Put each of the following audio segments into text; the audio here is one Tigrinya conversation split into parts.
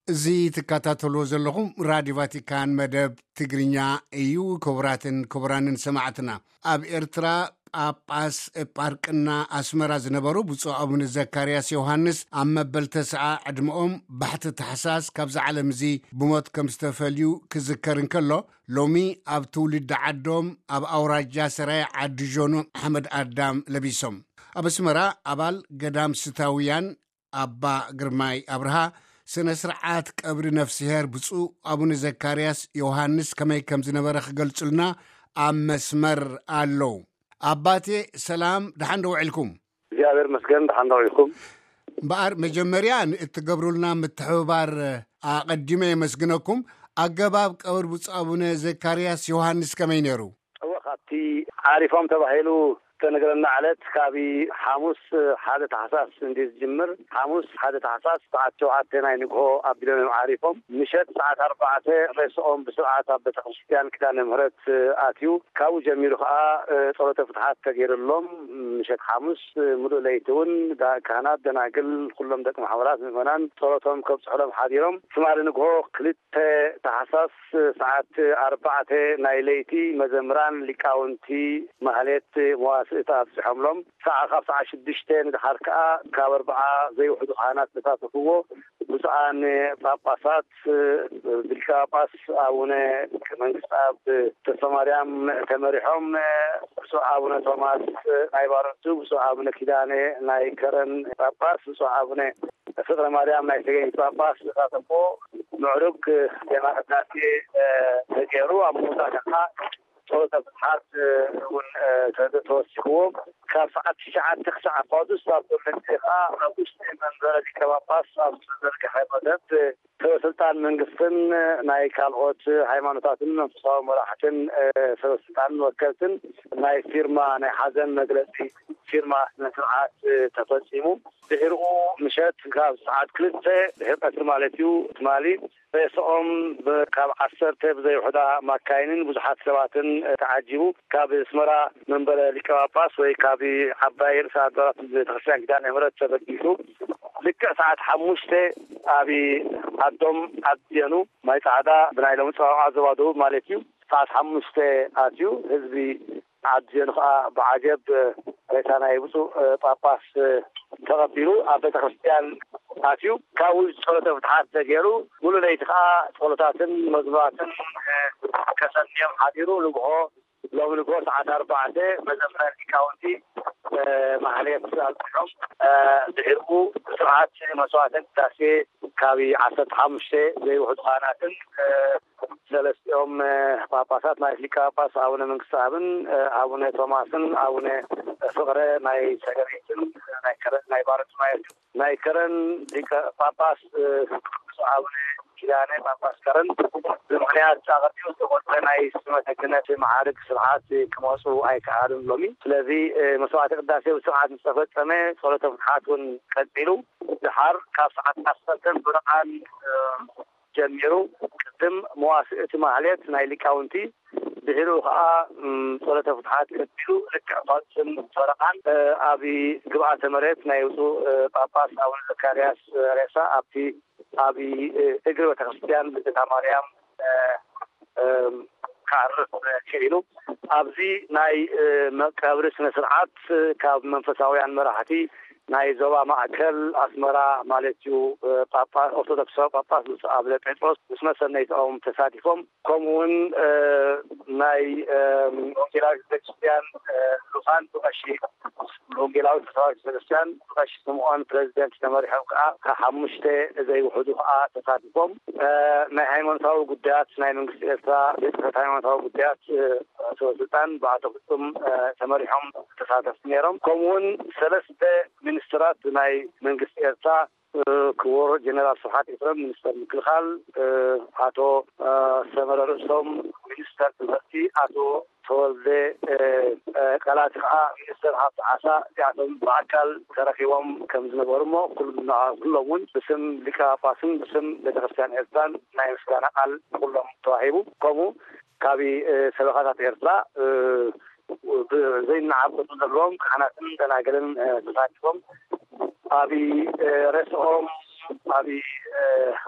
እዚ ትከታተልዎ ዘለኹም ራድዮ ቫቲካን መደብ ትግርኛ እዩ። ክቡራትን ክቡራንን ሰማዕትና፣ ኣብ ኤርትራ ጳጳስ ጳርቅና ኣስመራ ዝነበሩ ብፁዕ ኣቡነ ዘካርያስ ዮሃንስ ኣብ መበል ተስዓ ዕድመኦም ባሕቲ ታሕሳስ ካብዚ ዓለም እዚ ብሞት ከም ዝተፈልዩ ክዝከር እንከሎ፣ ሎሚ ኣብ ትውልዲ ዓዶም ኣብ ኣውራጃ ሰራየ ዓዲ ዦኖ ሓመድ ኣዳም ለቢሶም። ኣብ ኣስመራ ኣባል ገዳም ስታውያን ኣባ ግርማይ ኣብርሃ ስነ ስርዓት ቀብሪ ነፍስሄር ብፁዕ ኣቡነ ዘካርያስ ዮሃንስ ከመይ ከም ዝነበረ ክገልጹልና ኣብ መስመር ኣለዉ። ኣባቴ ሰላም፣ ደሓን ዶ ውዒልኩም? እግዚኣብሔር መስገን፣ ደሓን ዶ ውዒልኩም? እምበኣር መጀመርያ ንእትገብሩልና ምትሕብባር ኣቐዲመ የመስግነኩም። ኣገባብ ቀብሪ ብፁዕ ኣቡነ ዘካርያስ ዮሃንስ ከመይ ነይሩ? እወ፣ ካብቲ ዓሪፎም ተባሂሉ ዝተነገረና ዕለት ካብ ሓሙስ ሓደ ታሕሳስ እንዲ ዝጅምር፣ ሓሙስ ሓደ ታሕሳስ ሰዓት ሸውዓተ ናይ ንግሆ ኣቢሎም እዮም ዓሪፎም። ምሸት ሰዓት ኣርባዕተ ሬስኦም ብስርዓት ኣብ ቤተክርስትያን ኪዳነ ምህረት ኣትዩ። ካብኡ ጀሚሩ ከዓ ጸሎተ ፍትሓት ተገይርሎም ምሸት ሓሙስ ምሉእ ለይቲ እውን ዳ-፣ ካህናት፣ ደናግል፣ ኩሎም ደቂ ማሕበራት ምእመናን ጸሎቶም ከብጽሑሎም ሓዲሮም። ትማሊ ንግሆ ክልተ ታሕሳስ ሰዓት ኣርባዕተ ናይ ለይቲ መዘምራን ሊቃውንቲ ማህሌት መዋስእቲ ኣብጽሖምሎም። ሰዓ-፣ ካብ ሰዓት ሽዱሽተ ንድሓር ከኣ ካብ ኣርብዓ ዘይውሕዱ ካህናት ተሳተፍዎ። ብፁዓን ጳጳሳት ብሊቀ ጳጳስ ኣቡነ መንግስት ኣብ ተስፋ ማርያም ተመሪሖም፣ ብፁዕ ኣቡነ ቶማስ ናይ ባረንቱ፣ ብፁዕ ኣቡነ ኪዳነ ናይ ከረን ጳጳስ፣ ብፁዕ ኣቡነ ፍቅረ ማርያም ናይ ተገኝ ጳጳስ ዝሳተፎ ምዕሩግ ዜማ ቅዳሴ ተገይሩ። ኣብ መወዳእታ ጸሎተ ፍትሓት እውን ተወሲኽዎ። ካብ ሰዓት ትሽዓተ ክሳዕ ፋዱስ ኣብ ጎመንቴ ከዓ ኣብ ውሽጢ መንበረ ሊቀ ጳጳስ ኣብ ዝተዘርግሐ መደብ ሰበ ስልጣን መንግስትን ናይ ካልኦት ሃይማኖታትን መንፈሳዊ መራሕትን ሰበ ስልጣንን ወከልትን ናይ ፊርማ፣ ናይ ሓዘን መግለጺ ፊርማ ስነ ስርዓት ተፈጺሙ። ድሕሪኡ ምሸት ካብ ሰዓት ክልተ ድሕሪ ቀትሪ ማለት እዩ፣ ትማሊ ሬስኦም ብ-፣ ካብ ዓሰርተ ብዘይውሕዳ ማካይንን ብዙሓት ሰባትን ተዓጂቡ ካብ ኣስመራ መንበረ ሊቀ ጳጳስ ወይ ካብ ዓባይ ርእሰ ኣድባራት ቤተክርስትያን ኪዳነ ምሕረት ተበጊሱ ልክዕ ሰዓት ሓሙሽተ ኣብ ዓዶም ዓዲ ዜኑ ማይ ጻዕዳ ብናይ ሎሚ ጸዋውዓ ዞባ ደቡብ ማለት እዩ። ሰዓት ሓሙሽተ ኣትዩ ህዝቢ ዓዲ ዜኑ ከዓ ብዓጀብ ሬሳ ናይ ብፁዕ ጳጳስ ተቐቢሉ ኣብ ቤተክርስትያን ኣትዩ። ካብኡ ጸሎተ ፍትሓት ተገይሩ ሙሉ ለይቲ ከዓ ጸሎታትን መዝሙራትን ከሰንዮም ሓዲሩ ንግሆ ሎሚ ንግሆ ሰዓት ኣርባዕተ መዘምራን ሊቃውንቲ ማህሌት ኣብፅሖም ድሕርኡ ስርዓት መስዋዕተ ቅዳሴ ካብ ዓሰርተ ሓሙሽተ ዘይውሕዱ ካህናትን ሰለስቲኦም ጳጳሳት ማለት ሊቀ ጳጳስ ኣቡነ መንግስተ ኣብን ኣቡነ ቶማስን ኣቡነ ፍቅረ ናይ ሰገሪትን ናይ ከረ-፣ ናይ ባረንቱ ማለት እዩ። ናይ ከረን ሊቀ ጳጳስ ብፁዕ ኣቡነ ኪዳነ ጳጳስ ከረን ብምኽንያት ኣቐዲሙ ዝተቆርጠ ናይ ስመተ ክህነት መዓርግ ስርዓት ክመፁ ኣይከኣሉን ሎሚ። ስለዚ መስዋዕተ ቅዳሴ ብስርዓት ዝተፈጸመ ጸሎተ ፍትሓት እውን ቀጺሉ። ድሓር ካብ ሰዓት ዓሰርተ ብርቓን ጀሚሩ ቅድም መዋስእቲ ማህሌት ናይ ሊቃውንቲ ድሕሪኡ ከዓ ጸሎተ ፍትሓት ቀጺሉ ልክዕ ፋልስን ፈረቓን ኣብ ግብኣተ መሬት ናይ ብፁዕ ጳጳስ ኣቡነ ዘካርያስ ሬሳ ኣብቲ ኣብ እግሪ ቤተክርስትያን ልደታ ማርያም ክዓርፍ ክኢሉ። ኣብዚ ናይ መቃብሪ ስነ ስርዓት ካብ መንፈሳውያን መራሕቲ ናይ ዞባ ማእከል ኣስመራ ማለት እዩ ጳጳስ ኦርቶዶክሳዊ ጳጳስ ብፁዕ ኣቡነ ጴጥሮስ ምስ መሰነይትኦም ተሳቲፎም። ከምኡ እውን ናይ ወንጌላዊት ቤተክርስትያን ልኡኻን ብቐሺ ወንጌላዊት ካቶሊክ ቤተክርስትያን ብቐሺ ስምዖን ፕሬዚደንት ተመሪሖም ከዓ ካብ ሓሙሽተ ዘይውሕዱ ከዓ ተሳቲፎም። ናይ ሃይማኖታዊ ጉዳያት ናይ መንግስቲ ኤርትራ ቤት ጽሕፈት ሃይማኖታዊ ጉዳያት ሰበ ስልጣን ብኣቶ ፍጹም ተመሪሖም ተሳተፍቲ ነይሮም። ከምኡ እውን ሰለስተ ሚኒስትራት ናይ መንግስቲ ኤርትራ ክቡር ጀነራል ስብሓት ኤፍረም ሚኒስተር ምክልኻል፣ ኣቶ ሰመረ ርእሶም ሚኒስተር ትምህርቲ፣ ኣቶ ተወልደ ቀላቲ ከዓ ሚኒስተር ሃብቲ ዓሳ እዚኣቶም ብኣካል ተረኪቦም ከም ዝነበሩ እሞ ኩሎም እውን ብስም ሊቀ ጳጳስን ብስም ቤተክርስትያን ኤርትራን ናይ ምስጋና ቃል ንኩሎም ተዋሂቡ። ከምኡ ካብ ሰበኻታት ኤርትራ ዘይናዓብ ዘለዎም ካህናትን ደናግልን ተሳቲፎም ኣብ ርእስኦም ኣብ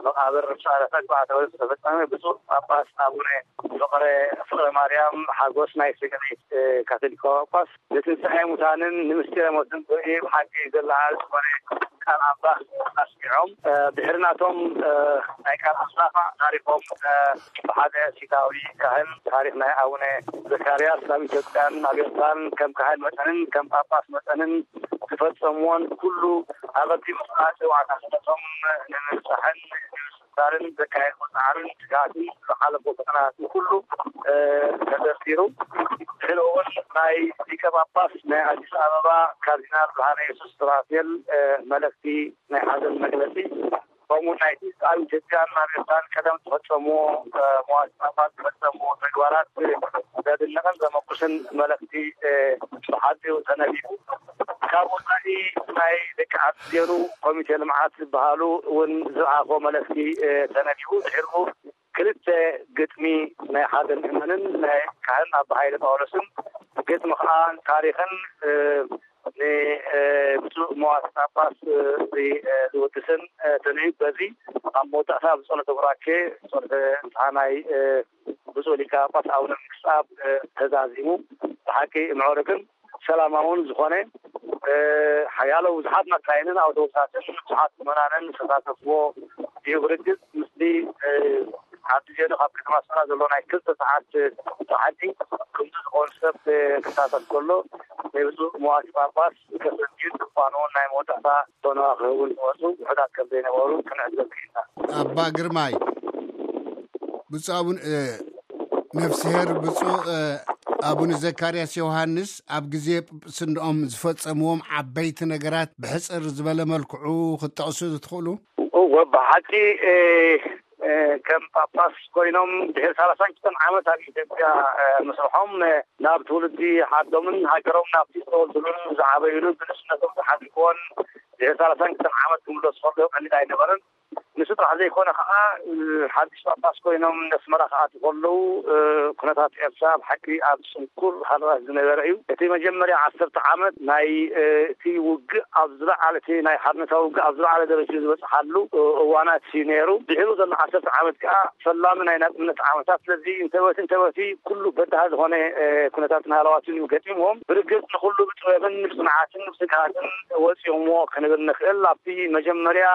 መቃብር ብስዕረ ተግባዕ ተወ ዝተፈጸመ ብፁዕ ጳጳስ ኣቡነ ፍቕረ ፍቕረ ማርያም ሓጎስ ናይ ሰገናይት ካቶሊካዊ ጳጳስ ንትንሳኤ ሙታንን ንምስጢረ ሞትን ብርሂ ብሓቂ ዘለዓል ዝኾነ ቃል ኣምላኽ ኣስሚዖም። ድሕሪ ናቶም ናይ ቃል ኣስራፋ ታሪኾም ብሓደ ሲታዊ ካህን ታሪኽ ናይ ኣቡነ ዘካርያስ ኣብ ኢትዮጵያን ኣብ ኤርትራን ከም ካህን መጠንን ከም ጳጳስ መጠንን ዝፈጸምዎን ኩሉ ኣቐዲሙ ጽዋዕታቶም ንምብጻሕን ንምስታርን ዘካየድዎ ጻዕርን ትግሃትን ዝሓለፎ ፈተናታትን ኩሉ ተዘርዚሩ። ድሕሪ እውን ናይ ሊቀ ጳጳስ ናይ ኣዲስ ኣበባ ካርዲናል ብርሃነ የሱስ ሱራፌል መልእኽቲ ናይ ሓዘን መግለጺ ከምኡ ናይቲ ኣብ ኢትዮጵያን ኣሜሪካን ቀደም ዝፈጸምዎ መዋቲ ጳጳስ ዝፈጸምዎ ተግባራት ዘድንቕን ዘመጉስን መልእኽቲ ብሓጺሩ ተነቢቡ። ካብ ወጻኢ ናይ ደቂ ዓዲ ዜሩ ኮሚቴ ልምዓት ዝበሃሉ እውን ዝለኣኾ መልእኽቲ ተነቢቡ። ድሕሪኡ ክልተ ግጥሚ ናይ ሓደ ምእመንን ናይ ካህን ኣባ ሃይለ ጳውሎስን ግጥሚ ከዓ ታሪኽን ንብፁዕ መዋቲ ጳጳስ ዝውድስን ተለዩ። በዚ ኣብ መወዳእታ ብጸሎተ ቡራኬ ጸሎተ ንስሓ ናይ ብፁዕ ሊቀ ጳጳስ ኣቡነ መንግስትኣብ ተዛዚሙ። ብሓቂ ምዕሩግን ሰላማውን ዝኾነ ሓያሎ ብዙሓት መካይንን ኣውቶቡሳትን ብዙሓት ምእመናንን ዝተሳተፍዎ እዩ። ብርግጽ ምስቲ ሓንቲ ዜዶ ካብ ከተማ ኣስመራ ዘሎ ናይ ክልተ ሰዓት ጻዕዲ ከምዚ ዝኾኑ ሰብ ክሳተፍ ከሎ ናይ ብፁዕ መዋቲ ጳጳስ ከሰንጅን ድንኳኑ ናይ መወዳእታ ቶኖ ክህቡ ዝመጹ ውሑዳት ከም ዘይነበሩ ክንዕዘብ ክኢልና። ኣባ ግርማይ፣ ብፁዕ ኣቡነ ነፍስሄር ብፁዕ ኣቡነ ዘካርያስ ዮሃንስ ኣብ ግዜ ጵጵስንኦም ዝፈጸምዎም ዓበይቲ ነገራት ብሕጽር ዝበለ መልክዑ ክትጠቕሱ ትኽእሉ? እወ፣ ብሓቂ ከም ጳጳስ ኮይኖም ድሕሪ ሰላሳን ክልተን ዓመት ኣብ ኢትዮጵያ ምስርሖም ናብ ትውልዲ ዓዶምን ሃገሮም ናብቲ ዝተወልዱሉን ዝዓበዩሉ ብንእስነቶም ዝሓለፍዎን ድሕሪ ሰላሳን ክልተን ዓመት ክምለሱ ከለዉ ቀሊል ኣይነበረን። ንሱ ጥራሕ ዘይኮነ ከዓ ሓድሽ ጳጳስ ኮይኖም ነስመራ ክኣትዉ ከለዉ ኩነታት ኤርትራ ብሓቂ ኣብ ስንኩር ሃለዋት ዝነበረ እዩ። እቲ መጀመርያ ዓሰርተ ዓመት ናይ እቲ ውግእ ኣብ ዝለዓለ እቲ ናይ ሓርነታዊ ውግእ ኣብ ዝለዓለ ደረጃ ዝበፅሓሉ እዋናት እዩ ነይሩ። ድሕሩ ዘሎ ዓሰርተ ዓመት ከዓ ፈላሚ ናይ ናፅነት ዓመታት። ስለዚ እንተወቲ እንተወቲ ኩሉ በዳሂ ዝኾነ ኩነታትን ሃለዋትን እዩ ገጢምዎም። ብርግፅ ንኩሉ ብጥበብን ብፅንዓትን ብትግሃትን ወፂኦምዎ ክንብል ንኽእል። ኣብቲ መጀመርያ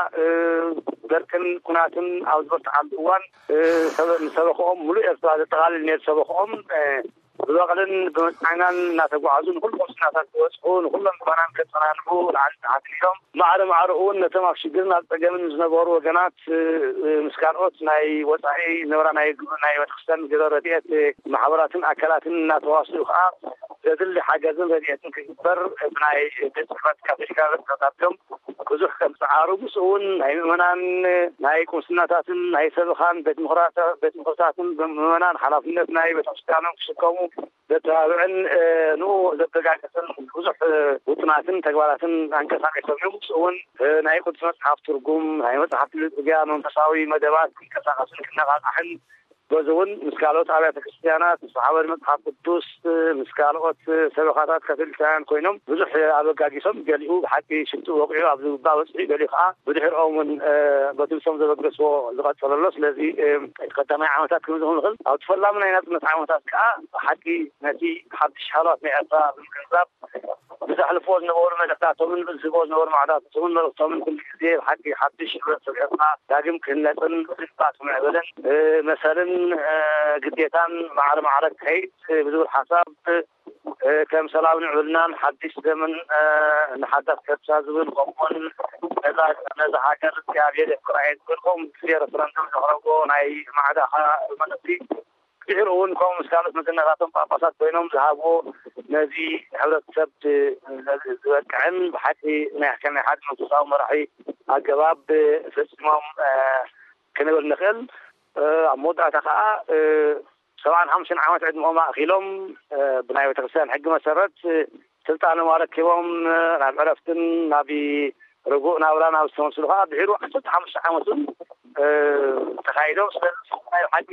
ደርቅን ኩናትን ኣብ ዝበርትዓሉ እዋን ሰበ- ንሰበኽኦም ሙሉእ ኤርትራ ዘጠቓልል ነይሩ። ሰበኽኦም ብበቕልን ብመጽዓኛን እናተጓዓዙ ንኹሉ ቁምስናታት ዝበጽሑ ንኹሎም ምእመናን ከጸናንዑ ላዕሊ ታሕቲ ኢሎም ማዕረ ማዕረ እውን ነቶም ኣብ ሽግርን ኣብ ጸገምን ዝነበሩ ወገናት ምስ ካልኦት ናይ ወጻኢ ዝነበራ ናይ ግብሪ ናይ ቤተክርስትያን ግብረ ረድኤት ማሕበራትን ኣካላትን እናተዋስኡ ከዓ ዘድሊ ሓገዝን ረድኤትን ክግበር ብናይ ቤት ጽሕፈት ካቶሊካዊ ተታቢዮም ብዙሕ ከም ዝዓሩ ምስኡ እውን ናይ ምእመናን ናይ ቁምስናታትን ናይ ሰበኻን ቤት ምኽራታ- ቤት ምኽርታትን ምእመናን ሓላፍነት ናይ ቤተክርስትያኖም ክሽከሙ ዘተባብዕን ንኡ ዘበጋገስን ብዙሕ ውጥናትን ተግባራትን ኣንቀሳቂሶም እዮም። ምስኡ እውን ናይ ቅዱስ መጽሓፍ ትርጉም ናይ መጽሓፍ ጽርግያ መንፈሳዊ መደባት ክንቀሳቀስን ክነቃቃሕን በዚ እውን ምስ ካልኦት ኣብያተ ክርስትያናት ምስ ማሕበር መጽሓፍ ቅዱስ ምስ ካልኦት ሰበኻታት ካቶሊካውያን ኮይኖም ብዙሕ ኣበጋጊሶም ገሊኡ ብሓቂ ሽቱ ወቂዑ ኣብ ዝግባእ በፅሑ ገሊኡ ከዓ ብድሕርኦም እውን በቲ ንሶም ዘበገስዎ ዝቐፀለ ኣሎ። ስለዚ እቲ ቀዳማይ ዓመታት ክንብል ንኽእል ኣብቲ ፈላሚ ናይ ናፅነት ዓመታት ከዓ ብሓቂ ነቲ ሓድሽ ሃሏት ናይ ኤርትራ ብምግንዛብ ብዘሕልፍዎ ዝነበሩ መልእኽታቶምን ብዝህብዎ ዝነበሩ ማዕዳቶምን መልእኽቶምን ኩሉ ግዜ ብሓቂ ሓድሽ ሕብረተሰብ ኤርትራ ዳግም ክህነፅን ብዝግባእ ክምዕብልን መሰልን ግዴታን ማዕረ ማዕረ ክኸይድ ብዝብል ሓሳብ ከም ሰላም ንዕብልናን ሓድሽ ዘመን ንሓዳስ ኤርትራ ዝብል ከምኡውን ነዛ ነዛ ሃገር እግዚኣብሔር የፍቅራ እየ ዝብል ከምኡ ግዜ ረፈረንደም ዘቕረቦ ናይ ማዕዳ መልእኽቲ ድሕሩ እውን ከምኡ ምስ ካልኦት መዘናታቶም ጳጳሳት ኮይኖም ዝሃብዎ ነዚ ሕብረተሰብ ዝበቅዕን ብሓቂ ናይ ከም ናይ ሓደ መንፈሳዊ መራሒ ኣገባብ ፈፂሞም ክንብል ንኽእል። ኣብ መወዳእታ ከዓ ሰብዓን ሓሙሽተን ዓመት ዕድመኦም ኣእኪሎም ብናይ ቤተክርስትያን ሕጊ መሰረት ስልጣኖም ኣረኪቦም ናብ ዕረፍትን ናብ ርጉእ ናብራ ናብ ዝተመልስሉ ከዓ ድሕሩ ዓሰርተ ሓሙሽተ ዓመት እውን ተኻይዶም። ስለዚ ናይ ሓቂ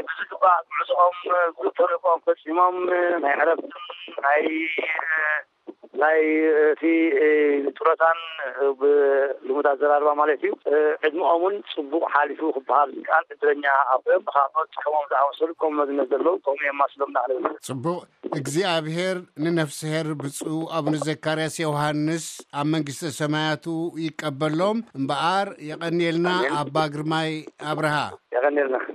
ብዝግባእ ጉዕዝኦም ብተልእኮኦም ፈፂሞም ናይ ዕረፍትን ናይ ናይ እቲ ጡረታን፣ ብልሙድ ኣዘራርባ ማለት እዩ፣ ዕድመኦምን ጽቡቕ ሓሊፉ ክበሃል ዝከኣል ዕድለኛ ኣቦ እዮም። ንኻብ መብጽሕዎም ዝኣመሰሉ ከም መዝነት ዘለዉ ከምኡ የማስሎም ናዕለሉ። ጽቡቕ። እግዚኣብሔር ንነፍስሄር ብፁዕ ኣቡነ ዘካርያስ ዮሃንስ ኣብ መንግስተ ሰማያቱ ይቀበሎም። እምበኣር የቐንየልና ኣባ ግርማይ ኣብርሃ። የቐንየልና።